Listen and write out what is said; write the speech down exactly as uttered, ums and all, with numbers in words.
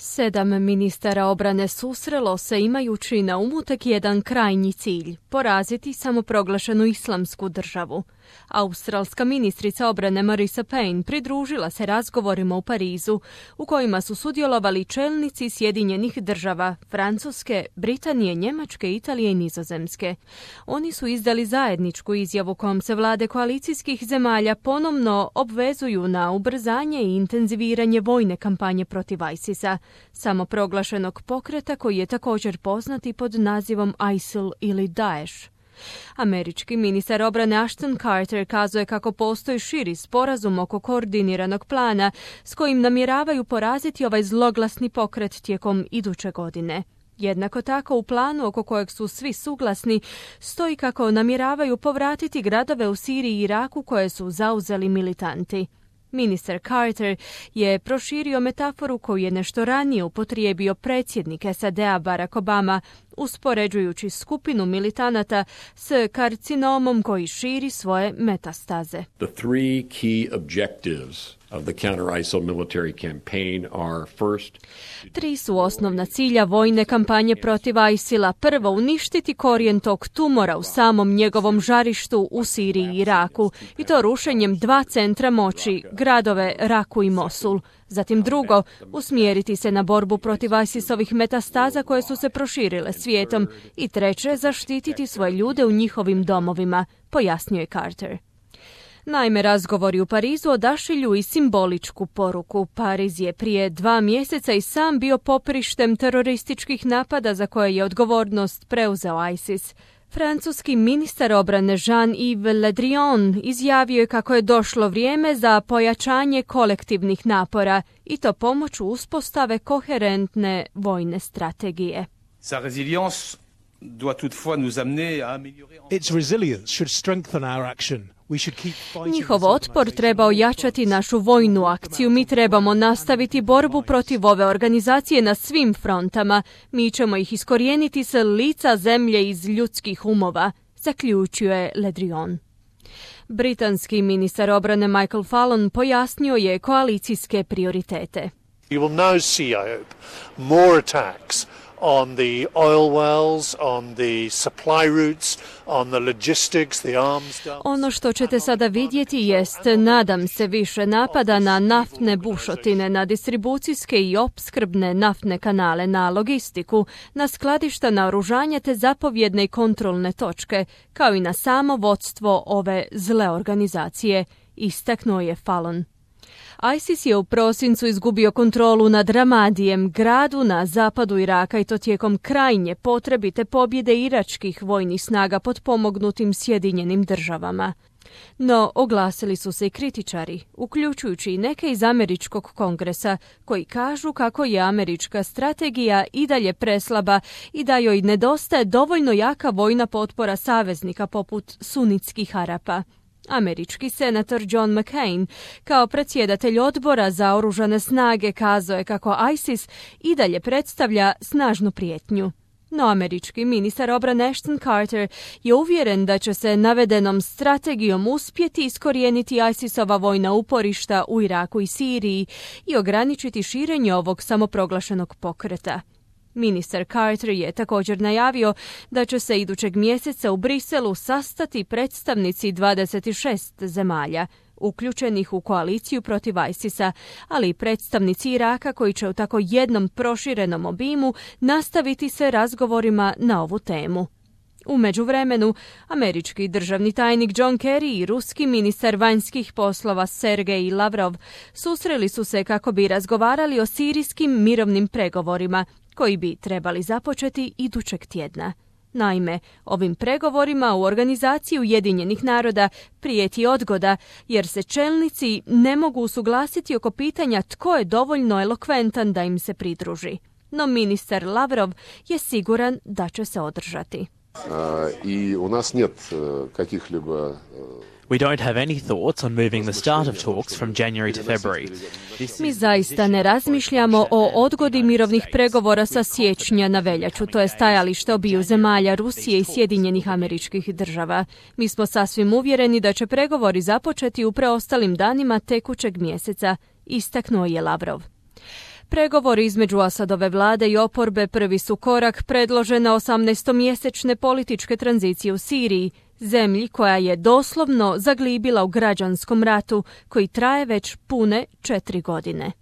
Sedam ministara obrane susrelo se imajući na umu tek jedan krajnji cilj – poraziti samoproglašenu islamsku državu. Australska ministrica obrane Marisa Payne pridružila se razgovorima u Parizu u kojima su sudjelovali čelnici Sjedinjenih država, Francuske, Britanije, Njemačke, Italije i Nizozemske. Oni su izdali zajedničku izjavu kojom se vlade koalicijskih zemalja ponovno obvezuju na ubrzanje i intenziviranje vojne kampanje protiv ISIS-a, samoproglašenog pokreta koji je također poznati pod nazivom ISIL ili Daesh. Američki ministar obrane Ashton Carter kazuje kako postoji širi sporazum oko koordiniranog plana s kojim namjeravaju poraziti ovaj zloglasni pokret tijekom iduće godine. Jednako tako u planu oko kojeg su svi suglasni stoji kako namjeravaju povratiti gradove u Siriji i Iraku koje su zauzeli militanti. Ministar Carter je proširio metaforu koju je nešto ranije upotrijebio predsjednik S A D-a Barack Obama, uspoređujući skupinu militanata s karcinomom koji širi svoje metastaze. The three key objectives of the counter-ISIL military campaign are first... Tri su osnovna cilja vojne kampanje protiv ISIL-a. Prvo, uništiti korijen tog tumora u samom njegovom žarištu u Siriji i Iraku, i to rušenjem dva centra moći, gradove Raku i Mosul. Zatim drugo, usmjeriti se na borbu protiv ISIS-ovih metastaza koje su se proširile svijetom. I treće, zaštititi svoje ljude u njihovim domovima, pojasnio je Carter. Naime, razgovori u Parizu odašilju i simboličku poruku. Pariz je prije dva mjeseca i sam bio poprištem terorističkih napada za koje je odgovornost preuzeo ISIS. Francuski ministar obrane Jean-Yves Le Drian izjavio je kako je došlo vrijeme za pojačanje kolektivnih napora i to pomoću uspostave koherentne vojne strategije. Sa résilience doit toutefois nous amener à améliorer... Its resilience should strengthen our action. Njihov otpor treba ojačati našu vojnu akciju. Mi trebamo nastaviti borbu protiv ove organizacije na svim frontama. Mi ćemo ih iskorijeniti sa lica zemlje iz ljudskih umova, zaključio je Le Drian. Britanski ministar obrane Michael Fallon pojasnio je koalicijske prioritete. You will now see, I hope, more attacks on the oil wells, on the supply routes, on the logistics, the arms dumps. Ono što ćete sada vidjeti jest, nadam se, više napada na naftne bušotine, na distribucijske i opskrbne naftne kanale, na logistiku, na skladišta naoružanja te zapovjedne i kontrolne točke, kao i na samo vodstvo ove zle organizacije, istaknuo je Fallon. ISIS je u prosincu izgubio kontrolu nad Ramadijem, gradu na zapadu Iraka, i to tijekom krajnje potrebite pobjede iračkih vojnih snaga potpomognutim Sjedinjenim državama. No, oglasili su se i kritičari, uključujući i neke iz američkog kongresa, koji kažu kako je američka strategija i dalje preslaba i da joj nedostaje dovoljno jaka vojna potpora saveznika poput sunitskih Arapa. Američki senator John McCain, kao predsjedatelj odbora za oružane snage, kazao je kako ISIS i dalje predstavlja snažnu prijetnju. No američki ministar obrane Ashton Carter je uvjeren da će se navedenom strategijom uspjeti iskorijeniti ISIS-ova vojna uporišta u Iraku i Siriji i ograničiti širenje ovog samoproglašenog pokreta. Ministar Carter je također najavio da će se idućeg mjeseca u Briselu sastati predstavnici dvadeset šest zemalja, uključenih u koaliciju protiv ISIS-a, ali i predstavnici Iraka koji će u tako jednom proširenom obimu nastaviti se razgovorima na ovu temu. U međuvremenu, američki državni tajnik John Kerry i ruski ministar vanjskih poslova Sergej Lavrov susreli su se kako bi razgovarali o sirijskim mirovnim pregovorima, koji bi trebali započeti idućeg tjedna. Naime, ovim pregovorima u Organizaciji Ujedinjenih naroda prijeti odgoda, jer se čelnici ne mogu usuglasiti oko pitanja tko je dovoljno elokventan da im se pridruži. No ministar Lavrov je siguran da će se održati. I u nas нет каких-либо We don't have any thoughts on moving the start of talks from January to February. Mi zaista ne razmišljamo o odgodi mirovnih pregovora sa siječnja na veljaču. To je stajalište obiju zemalja, Rusije i Sjedinjenih Američkih Država. Mi smo sasvim uvjereni da će pregovori započeti u preostalim danima tekućeg mjeseca, istaknuo je Lavrov. Pregovori između Asadove vlade i oporbe prvi su korak predložene osamnaestomjesečne političke tranzicije u Siriji, zemlji koja je doslovno zaglibila u građanskom ratu koji traje već pune četiri godine.